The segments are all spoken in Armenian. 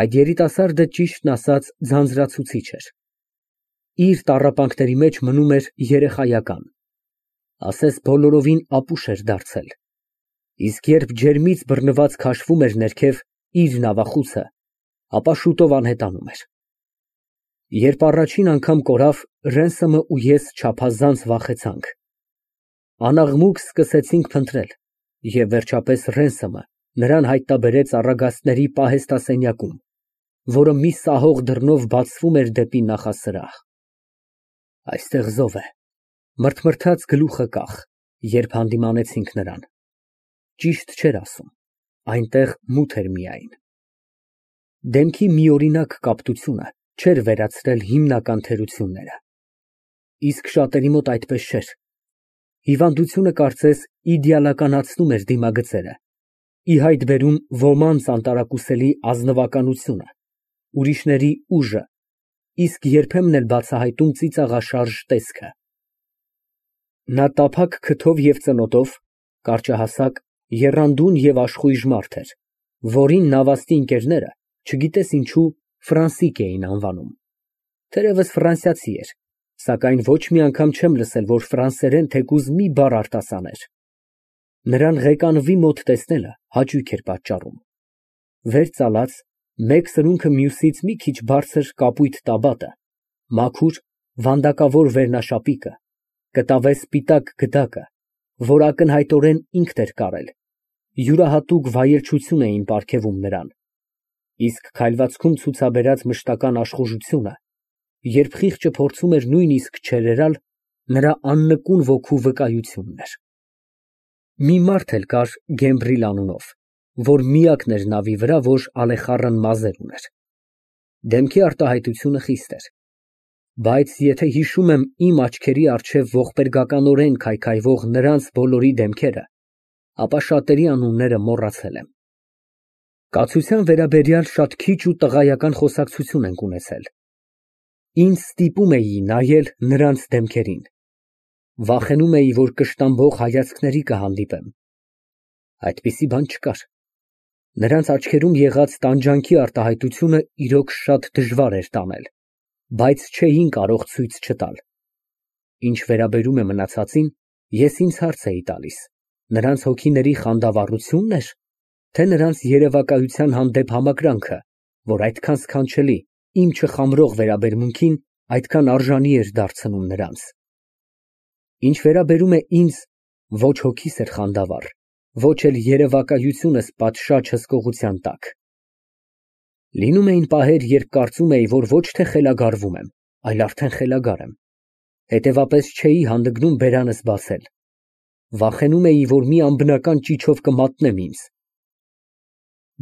Այդ երիտասարդը ճիշտն ասած ձանձրացուցիչ էր։ Իր տառապանքների մեջ մնում էր երեխայական, ասես բոլորովին ապուշ էր դարձել, իսկ երբ ջերմից բռնված քաշվում էր ներքև իր նավախուցը, ապա շուտով անհետանում էր։ Երբ առաջին անգամ կորավ, Ռենսոմը ու ես չափազանց վախեցանք։ Անաղմուկ սկսեցինք փնտրել, և վերջապես Ռենսոմը նրան հայտնաբերեց առագաստների պահեստասենյակում, որը մի սահող դռնով բացվում էր դեպի նախասրահ։ Այստեղ զով է, մրթմրթաց գլուխը կախ, երբ հանդիմանեցինք նրան։ Ճիշտ չէր ասում, այնտեղ մութ էր միայն։ Դեմքի միօրինակ կապտությունը չէր վերացրել հիմնական թերությունները։ Իսկ շատերի մոտ այդպես չէր։ Հիվանդությունը կարծես իդեալականացնում էր դիմագծերը, ի հայտ բերում ոմանց անտարակուսելի ազնվականությունը, ուրիշների ուժը, իսկ երբեմն էլ բացահայտում ծիծաղաշարժ տեսքը։ Նա տափակ քթով և ծնոտով, կարճահասակ, եռանդուն և աշխույժ մարդ էր, որին նավաստի ընկերները, չգիտես ինչու, Ֆրանսիկ էին անվանում։ Թերևս ֆրանսիացի էր, սակայն ոչ մի անգամ չեմ լսել, որ ֆրանսերեն թեկուզ մի բառ արտասաներ։ Նրան ղեկանվի մոտ տեսնելը հաճույք էր պատճառում։ Վեր ծալած, մեկ սրունքը մյուսից մի քիչ բարձր կապույտ տաբատը, մաքուր, վանդակավոր վերնաշապիկը, կտավե սպիտակ գդակը, որ ակնհայտորեն ինքն էր կարել, յուրահատուկ վայելչություն էին պարգևում նրան, իսկ քայլվածքում ցուցաբերած մշտական աշխուժությունը, երբ խիղճը փորձում էր նույնիսկ չերերալ, նրա աննկուն ոգու վկայությունն էր։ Մի մարդ էլ կար Գեմբրիլ անունով, որ միակն էր նավի վրա, որ ալեխառն մազեր ուներ։ Դեմքի արտահայտությունը խիստ էր, բայց եթե հիշում եմ իմ աչքերի առջև ողբերգականորեն քայքայվող նրանց բոլորի դեմքերը, ապա շատերի անունները մոռացել եմ։ Կացության վերաբերյալ շատ քիչ ու տղայական խոսակցություն ենք ունեցել։ Ինձ ստիպում էի նայել նրանց դեմքերին։ Վախենում էի, որ կշտամբող հայացքների կհանդիպեմ։ Այդպիսի բան չկար։ Նրանց աչքերում եղած տանջանքի արտահայտությունը իրոք շատ դժվար էր տանել, բայց չէին կարող ցույց չտալ։ Ինչ վերաբերում է մնացածին, ես ինձ հարց էի տալիս. նրանց հոգիների խանդավառությո՞ւնն էր, թե նրանց երևակայության հանդեպ համակրանքը, որ այդքան սքանչելի, իմ չխամրող վերաբերմունքին այդքան արժանի էր դարձնում նրանց։ Ինչ վերաբերում է ինձ, ոչ հոգիս էր խանդավառ, ոչ էլ երևակայությունս պատշաճ հսկողության տակ։ Լինում էին պահեր, երբ կարծում էի, որ ոչ թե խելագարվում եմ, այլ արդեն խելագար եմ, հետևապես չէի հանդգնում բերանս բացել։ Վախենում էի, որ մի անբնական ճիչով կմատնեմ ինձ։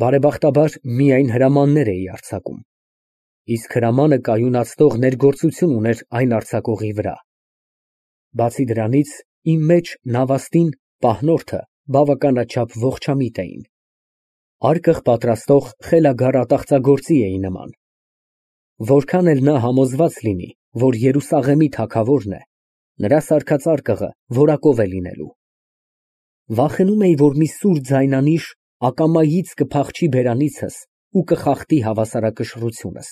Բարեբախտաբար, միայն հրամաններ էի արձակում, իսկ հրամանը կայունացնող ներգործություն ուներ այն արձակողի վրա։ Բացի դրանից, իմ մեջ նավաստին, պահնորդը բավականաչափ ողջամիտ էին։ Արկղ պատրաստող խելագար ատաղծագործի էի նման։ Որքան էլ նա համոզված լինի, որ Երուսաղեմի թագավորն է, նրա սարքած արկղը որակով է լինելու։ Վախենում էի, որ մի սուր ձայնանիշ ակամայից կփախչի բերանիցս ու կխախտի հավասարակշռությունս։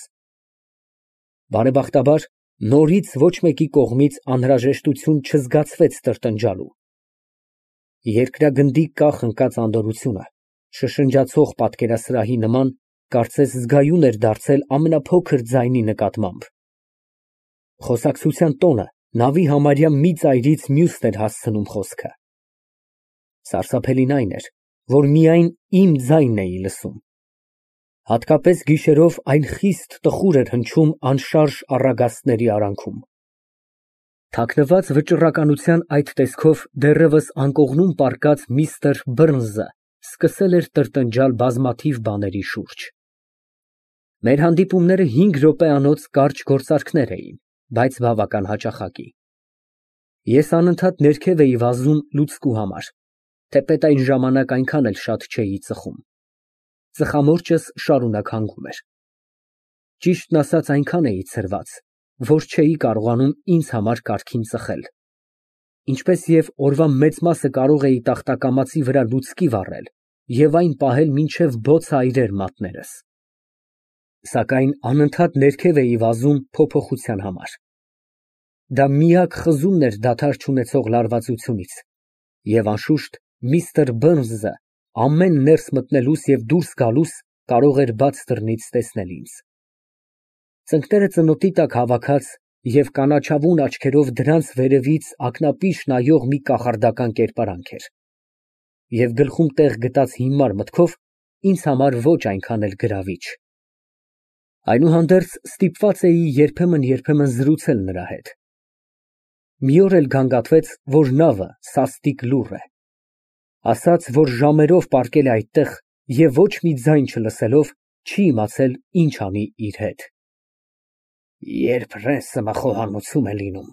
Բարեբախտաբար, նորից ոչ մեկի կողմից անհրաժեշտություն չզգացվեց տրտնջալու։ Երկրագնդի կախ ընկած անդորրությունը, շշնջացող պատկերասրահի նման, կարծես զգայուն էր դարձել ամենափոքր ձայնի նկատմամբ։ Խոսակցության տոնը նավի համարյա մի ծայրից մյուսն էր հասցնում խոսքը։ Սարսափելին այն էր, որ միայն իմ ձայնն էի լսում։ Հատկապես գիշերով այն խիստ տխուր էր հնչում անշարժ առագաստների արանքում։ Թաքնված վճռականության այդ տեսքով դեռևս անկողնում պառկած միստր Բըրնզը սկսել էր տրտնջալ բազմաթիվ բաների շուրջ։ Մեր հանդիպումները 5 րոպեանոց կարճ գործարքներ էին, բայց բավական հաճախակի։ Ես անընդհատ ներքև էի վազում լուցկու համար, թեպետ այն ժամանակ այնքան էլ շատ չէի ծխում։ Ծխամորճս շարունակ հանգում էր։ Ճիշտն ասած, այնքան էի ցրված, որ չէի կարողանում ինձ համար կարգին ծխել, ինչպես և օրվա մեծ մասը կարող էի տախտակամածի վրա լուցկի վառել և այն պահել մինչև բոց այրեր մատներս։ Սակայն անընդհատ ներքև էի վազում փոփոխության համար։ Դա միակ խզումն էր դադար չունեցող լարվածությունից, և անշուշտ միստր Բըրնսը ամեն ներս մտնելուս և դուրս գալուս կարող էր բաց դռնից տեսնել ինձ։ Ծնկները ծնոտի տակ հավաքած և կանաչավուն աչքերով դրանց վերևից ակնապիշ նայող մի կախարդական կերպարանք էր, և գլխում տեղ գտած հիմար մտքով ինձ համար ոչ այնքան էլ գրավիչ։ Այնուհանդերձ ստիպված էի երբեմն զրուցել նրա հետ։ Մի օր էլ գանգատվեց, որ նավը սաստիկ լուռ է։ Ասաց, որ ժամերով պառկել է այդտեղ և ոչ մի ձայն չլսելով, չի իմացել ինչ անի իր հետ։ Երբ Ռենսոմը խոհանոցում է լինում,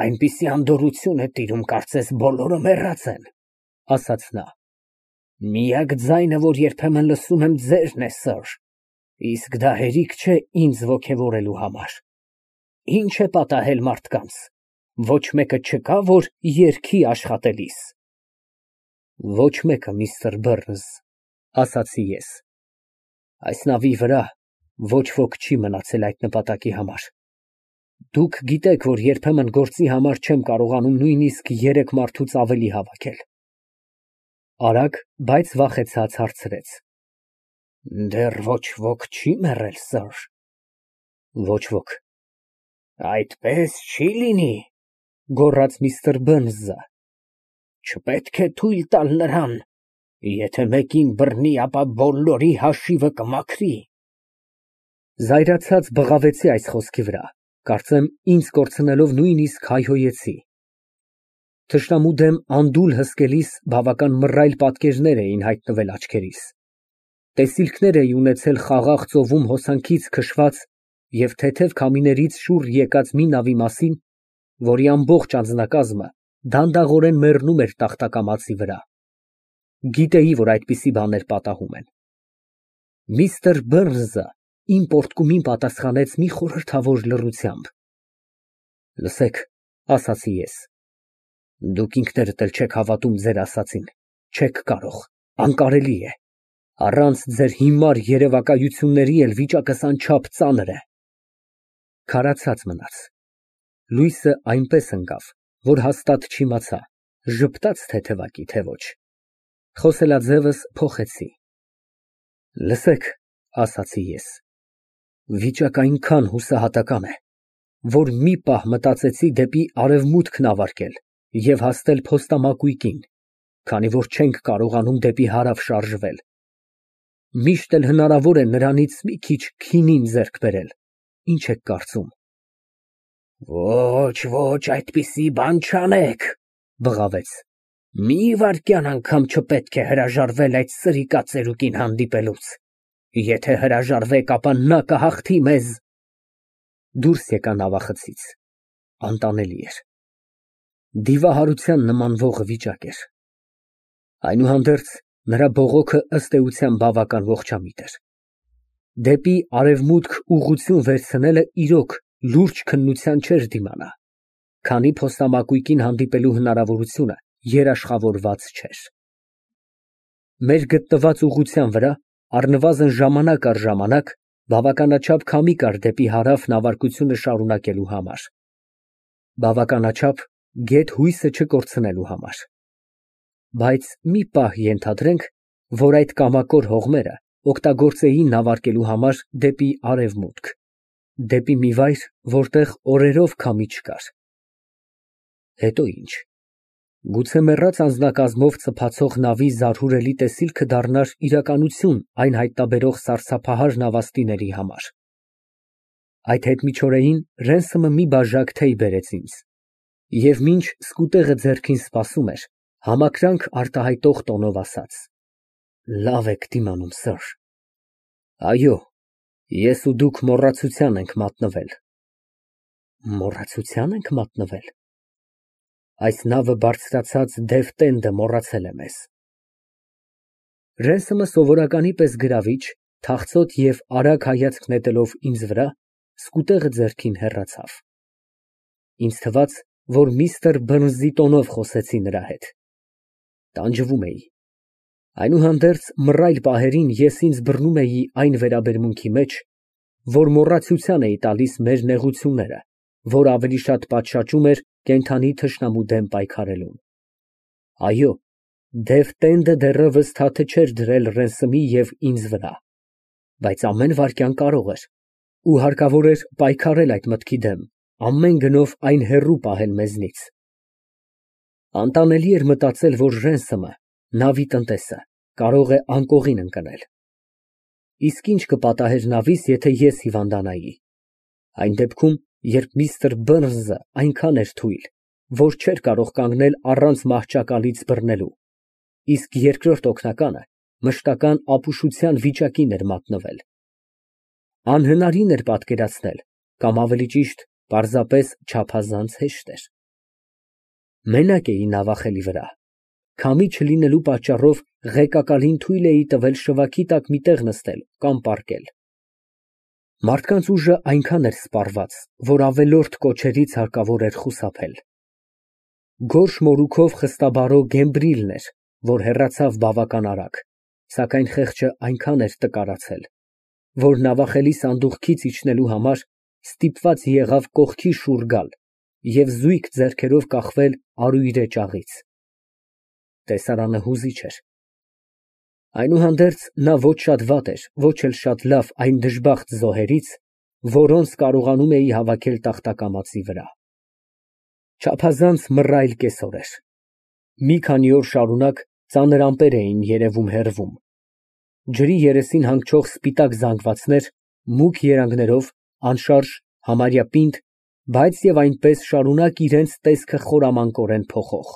այնպիսի անդորրություն է տիրում, կարծես բոլորը մեռած են, ասաց նա։ Միակ ձայնը, որ երբեմն լսում եմ, ձերն է, սըր, իսկ դա հերիք չէ ինձ ոգևորելու համար։ Ինչ է պատահել մարդկանց, ոչ մեկը չկա, որ երգի աշխատելիս։ Ոչ մեկը, միստր Բըրնս, ասացի ես։ Այս նավի վրա ոչ ոք չի մնացել այդ նպատակի համար։ Դուք գիտեք, որ երբեմն գործի համար չեմ կարողանում նույնիսկ 3 մարդուց ավելի հավաքել։ Արագ, բայց վախեցած հարցրեց. Դեռ ոչ ոք չի մեռել, սըր։ Ոչ ոք։ Այդպես չի լինի, գոռաց միստր Բըրնսը։ Չպետք է թույլ տալ նրան, եթե մեկին բռնի, ապա բոլորի հաշիվը կմաքրի։ Զայրացած բղավեցի այս խոսքի վրա, կարծեմ ինձ կորցնելով նույնիսկ հայհոյեցի։ Թշնամու դեմ անդուլ հսկելիս բավական մռայլ պատկերներ էին հայտնվել աչքերիս։ Տեսիլքներ էի ունեցել խաղաղ ծովում հոսանքից քշված և թեթև քամիներից շուռ եկած մի նավի մասին, որի ամբողջ անձնակազմը դանդաղորեն մեռնում էր տախտակամածի վրա։ Գիտեի, որ այդպիսի բաներ պատահում են։ Միստր Բըրնսը իմ պոռթկումին պատասխանեց մի խորհրդավոր լռությամբ։ Լսեք, ասացի ես, դուք ինքներդ էլ չեք հավատում ձեր ասածին, չեք կարող, անկարելի է, առանց ձեր հիմար երևակայությունների էլ վիճակս անչափ ծանր է։ Քարացած մնաց։ Լույսը այնպես ընկավ, որ հաստատ չիմացա, ժպտաց թեթևակի, թե ոչ։ Խոսելաձևս փոխեցի։ Լսեք, ասացի ես, վիճակը այնքան հուսահատական է, որ մի պահ մտածեցի դեպի արևմուտք նավարկել և հասնել փոստամակույկին, քանի որ չենք կարողանում դեպի հարավ շարժվել։ Միշտ էլ հնարավոր է նրանից մի քիչ քինին ձեռք բերել, ինչ եք կարծում։ Ոչ, այդպիսի բան չանեք, բղավեց։ Մի վայրկյան անգամ չպետք է հրաժարվել այդ սրիկա ծերուկին հանդիպելուց։ Եթե հրաժարվեք, ապա նա կհաղթի մեզ։ Դուրս եկա նավախցից։ Անտանելի էր։ Դիվահարության նմանվող վիճակ էր։ Այնուհանդերձ նրա բողոքը ըստ էության բավական ողջամիտ էր։ Դեպի արևմուտք ուղղություն վերցնելը իրոք լուրջ քննության չէր դիմանա, քանի փոստամակույկին հանդիպելու հնարավորությունը երաշխավորված չէր։ Մեր գտնված ուղղության վրա առնվազն ժամանակ առ ժամանակ բավականաչափ քամի կար դեպի հարավ նավարկությունը շարունակելու համար, բավականաչափ գեթ հույսը չկորցնելու համար։ Բայց մի պահ ենթադրենք, որ այդ կամակոր հողմերը օգտագործեին նավարկելու համար դեպի արևմուտք, դեպի մի վայր, որտեղ օրերով քամի չկար։ Հետո ինչ։ Գուցե մեռած անձնակազմով ծփացող նավի զարհուրելի տեսիլքը դառնար իրականություն այն հայտնաբերող սարսափահար նավաստիների համար։ Այդ հետմիջօրեին Ռենսոմը մի բաժակ թեյ բերեց ինձ, և մինչ սկուտեղը ձեռքին սպասում էր, համակրանք արտահայտող տոնով ասաց. Լավ եք դիմանում, սըր։ Այո, ես ու դուք մոռացության ենք մատնվել։ Մոռացության ենք մատնվել։ Այս նավը բարձրացած դև տենդը մոռացել է մեզ։ Ռենսոմը սովորականի պես գրավիչ, թախծոտ և արագ հայացք նետելով ինձ վրա, սկուտեղը ձեռքին հեռացավ։ Ինձ թվաց, որ միստր Բըրնսի տոնով խոսեցի նրա հետ։ Տանջվում էի։ Այնուհանդերձ մռայլ պահերին ես ինձ բռնում էի այն վերաբերմունքի մեջ, որ մոռացության էի տալիս մեր նեղությունները, որ ավելի շատ պատշաճում էր կենդանի թշնամու դեմ պայքարելուն։ Այո, դև տենդը դեռևս թաթը չէր դրել Ռենսեմի և ինձ վրա, բայց ամեն վայրկյան կարող էր ու հարկավոր էր պայքարել այդ մտքի դեմ, ամեն գնով այն հեռու պահել մեզնից։ Անտանելի էր մտածել, որ Ռենսեմը, նավի տնտեսը, կարող է անկողին ընկնել։ Իսկ ինչ կպատահեր նավից, եթե ես հիվանդանայի։ Այն դեպքում, երբ միստր Բըրնսը այնքան էր թույլ, որ չէր կարող կանգնել առանց մահճակալից բռնելու, իսկ երկրորդ օգնականը մշտական ապուշության վիճակին էր մատնվել։ Անհնարին էր պատկերացնել, կամ ավելի ճիշտ, պարզապես չափազանց հեշտ էր։ Մենակ էի նավախելի վրա, քամի չլինելու պատճառով ղեկակալին թույլ էի տվել շվաքի տակ մի տեղ նստել կամ պառկել։ Մարդկանց ուժը այնքան էր սպառված, որ ավելորդ կոչերից հարկավոր էր խուսափել։ Գորշ մորուքով խստաբարո Գեմբրիլն էր, որ հեռացավ բավական արագ, սակայն խեղճը այնքան էր տկարացել, որ նավախելի սանդուղքից իջնելու համար ստիպված եղավ կողքի շուռ գալ և զույգ ձեռքերով կախվել արույրե ճաղից։ Տեսարանը հուզիչ էր։ Այնուհանդերձ, նա ոչ շատ վատ էր, ոչ էլ շատ լավ այն դժբախտ զոհերից, որոնց կարողանում էի հավաքել տախտակամածի վրա։ Չափազանց մռայլ կեսօր էր։ Մի քանի օր շարունակ ծանր ամպեր էին երևում֊հեռվում։ Ջրի երեսին հանգչող սպիտակ զանգվածներ, մուգ երանգներով, անշարժ, համարյա պինդ, բայց և այնպես շարունակ իրենց տեսքը խորամանկորեն փոխող։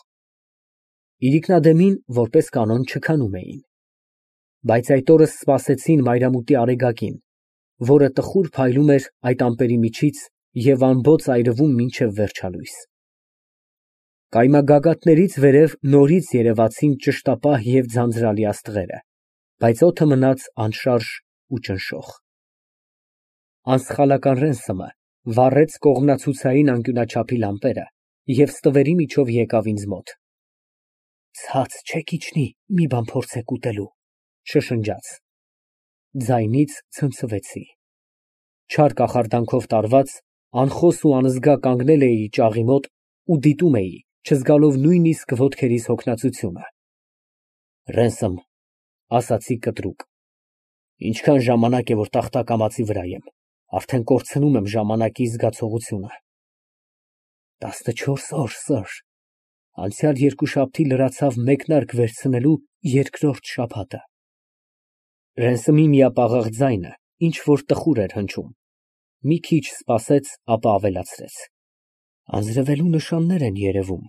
Իրիկնադեմին, որպես կանոն, չքանում էին։ Բայց այդ օրը սպասեցին մայրամուտի Արեգակին, որը տխուր փայլում էր այդ ամպերի միջից և ամբոց այրվում մինչև վերջալույս։ Կայմագագաթներից վերև նորից երևացին ճշտապահ և ձանձրալի աստղերը, բայց օդը մնաց անշարժ ու ճնշող։ Անսխալական Ռենսեմը վառեց կողմնացուցային անկյունաչափի լամպերը և ստվերի միջով եկավ ինձ մոտ։ «Ցած չեք իջնի, մի բան փորձեք ուտելու», շշնջաց։ Ձայնից ցնցվեցի։ Չար կախարդանքով տարված, անխոս ու անզգա կանգնել էի ճաղի մոտ ու դիտում էի, չզգալով նույնիսկ ոտքերիս հոգնածությունը։ «Ռենսեմ», ասացի կտրուկ, ինչքան ժամանակ է, որ տախտակամածի վրա եմ, արդեն կորցնում եմ ժամանակի զգացողությունը։ 14 օր, սըր, անցյալ երկուշաբթի լրացավ մեկնարկ վերցնելու երկրորդ շաբաթը։ Ռենսեմի միապաղաղ ձայնը ինչ֊որ տխուր էր հնչում։ Մի քիչ սպասեց, ապա ավելացրեց. Անձրևելու նշաններ են երևում։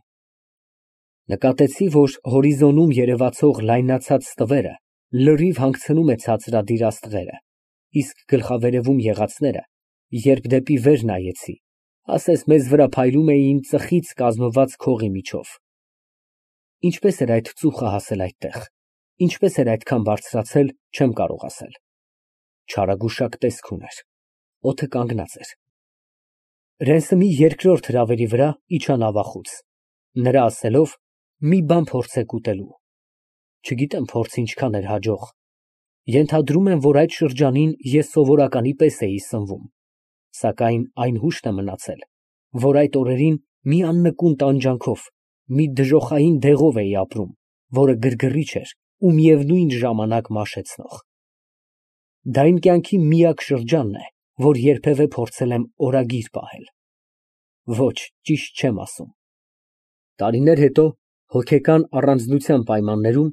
Նկատեցի, որ հորիզոնում երևացող լայնացած ստվերը լրիվ հանգցնում է ցածրադիր աստղերը, իսկ գլխավերևում եղածները, երբ դեպի վեր նայեցի, ասես մեզ վրա փայլում էին ծխից կազմված քողի միջով։ Ինչպես էր այդ ծուխը հասել այդտեղ, ինչպես էր այդքան բարձրացել, չեմ կարող ասել։ Չարագուշակ տեսք ուներ, օդը կանգնած էր։ Ռենսեմի երկրորդ հրավերի վրա իջա նավախուց, նրա ասելով. «Մի բան փորձեք ուտելու»։ Չգիտեմ փորձը ինչքան էր հաջող։ Ենթադրում եմ, որ այդ շրջանին ես սովորականի պես էի սնվում, սակայն այն հուշտ է մնացել, որ այդ օրերին մի աննկուն տանջանքով, մի դժոխային դեղով էի ապրում, որը գրգռիչ էր ու միևնույն ժամանակ մաշեցնող։ Դա իմ կյանքի միակ շրջանն է, որ երբևէ փորձել եմ օրագիր պահել։ Ոչ, ճիշտ չեմ ասում։ Տարիներ հետո, հոգեկան առանձնության պայմաններում,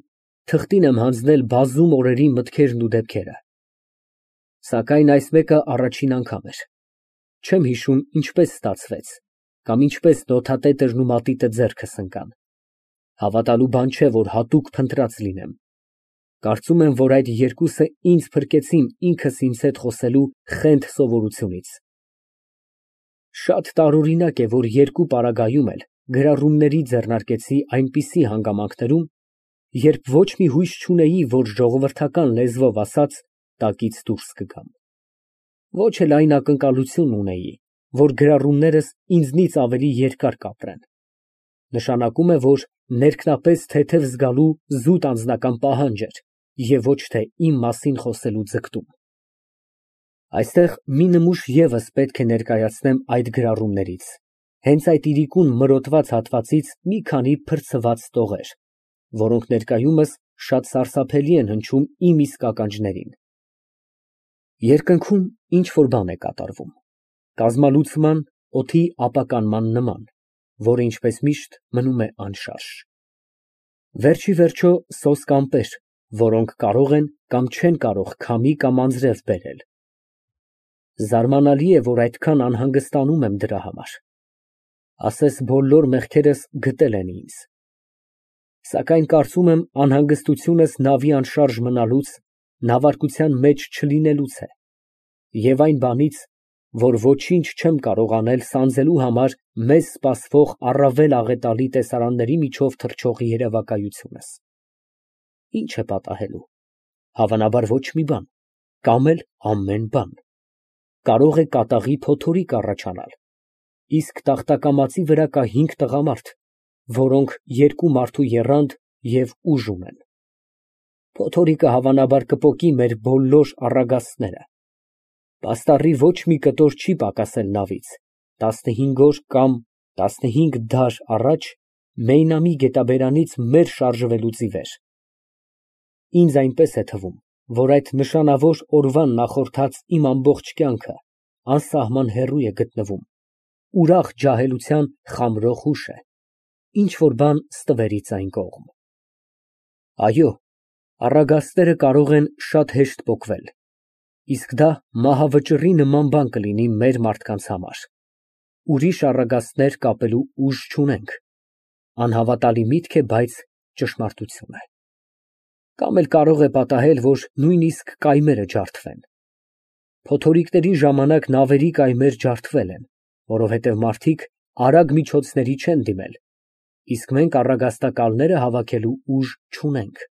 թղթին եմ հանձնել բազում օրերի մտքերն ու դեպքերը։ Սակայն այս մեկը առաջին անգամ էր։ Չեմ հիշում ինչպես ստացվեց, կամ ինչպես նոթատետրն ու մատիտը ձեռքս ընկան։ Հավատալու բան չէ, որ հատուկ փնտրած լինեմ։ Կարծում եմ, որ այդ երկուսը ինձ փրկեցին ինքս ինձ հետ խոսելու խենթ սովորությունից։ Շատ տարօրինակ է, որ երկու պարագայում էլ գրառումների ձեռնարկեցի այնպիսի հանգամանքներում, երբ ոչ մի հույս չունեի, որ ժողովրդական լեզվով ասած, տակից դուրս կգամ։ Ոչ էլ այն ակնկալությունն ունեի, որ գրառումներս ինձնից ավելի երկար կապրեն։ Նշանակում է, որ ներքնապես թեթև զգալու զուտ անձնական պահանջ էր և ոչ թե իմ մասին խոսելու ձգտում։ Այստեղ մի նմուշ ևս պետք է ներկայացնեմ այդ գրառումներից, հենց այդ իրիկուն մրոտված հատվածից մի քանի փրցված տողեր, որոնք ներկայումս շատ սարսափելի են հնչում իմ իսկ ականջներին։ Երկնքում ինչ֊որ բան է կատարվում, կազմալուծման, օդի ապականման նման, որը ինչպես միշտ մնում է անշարժ։ Վերջիվերջո սոսկ ամպեր, որոնք կարող են կամ չեն կարող քամի կամ անձրև բերել։ Զարմանալի է, որ այդքան անհանգստանում եմ դրա համար։ Ասես բոլոր մեղքերս գտել են ինձ։ Սակայն կարծում եմ անհանգստությունս նավի անշարժ մնալուց, նավարկության մեջ չլինելուց է, և այն բանից, որ ոչինչ չեմ կարող անել սանձելու համար մեզ սպասվող առավել աղետալի տեսարանների միջով թռչող երևակայությունս։ Ինչ է պատահելու։ Հավանաբար ոչ մի բան, կամ էլ ամեն բան։ Կարող է կատաղի փոթորիկ առաջանալ, իսկ տախտակամածի վրա կա 5 տղամարդ, որոնք երկու մարդու եռանդ և ուժ ունեն։ Փոթորիկը հավանաբար կպոկի մեր բոլոր առագաստները։ Պաստառի ոչ մի կտոր չի պակասել նավից, 15 օր կամ 15 դար առաջ Մեյնամի գետաբերանից մեր շարժվելուց ի վեր։ Ինձ այնպես է թվում, որ այդ նշանավոր օրվան նախորդած իմ ամբողջ կյանքը անսահման հեռու է գտնվում, ուրախ ջահելության խամրող հուշ է, ինչ֊որ բան ստվերից այն կողմ։ Այո, առագաստները կարող են շատ հեշտ պոկվել, իսկ դա մահավճռի նման բան կլինի մեր մարդկանց համար։ Ուրիշ առագաստներ կապելու ուժ չունենք, անհավատալի միտք է, բայց ճշմարտություն է։ Կամ էլ կարող է պատահել, որ նույնիսկ կայմերը ջարդվեն։ Փոթորիկների ժամանակ նավերի կայմեր ջարդվել են, որովհետև մարդիկ արագ միջոցների չեն դիմել, իսկ մենք առագաստակալները հավաքելու ուժ չունենք։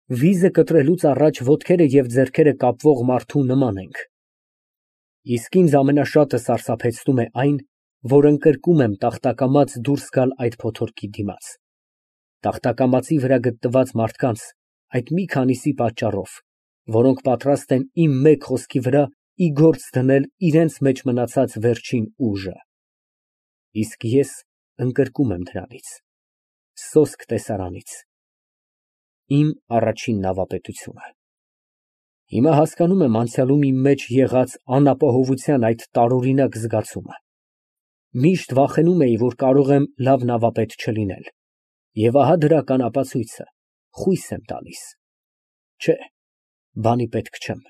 Վիզը կտրելուց առաջ ոտքերը և ձեռքերը կապվող մարդու նման ենք։ Իսկ ինձ ամենաշատը սարսափեցնում է այն, որ ընկրկում եմ տախտակամած դուրս գալ այդ փոթորկի դիմաց, տախտակամածի վրա գտնված մարդկանց այդ մի քանիսի պատճառով, որոնք պատրաստ են իմ մեկ խոսքի վրա ի գործ դնել իրենց մեջ մնացած վերջին ուժը։ Իսկ ես ընկրկում եմ դրանից, սոսկ տեսարանից, իմ առաջին նավապետությունը։ Հիմա հասկանում եմ անցյալում իմ մեջ եղած անապահովության այդ տարօրինակ զգացումը։ Միշտ վախենում էի, որ կարող եմ լավ նավապետ չլինել, և ահա դրական ապացույցը, խույս եմ տալիս։ Չէ, բանի պետք չեմ։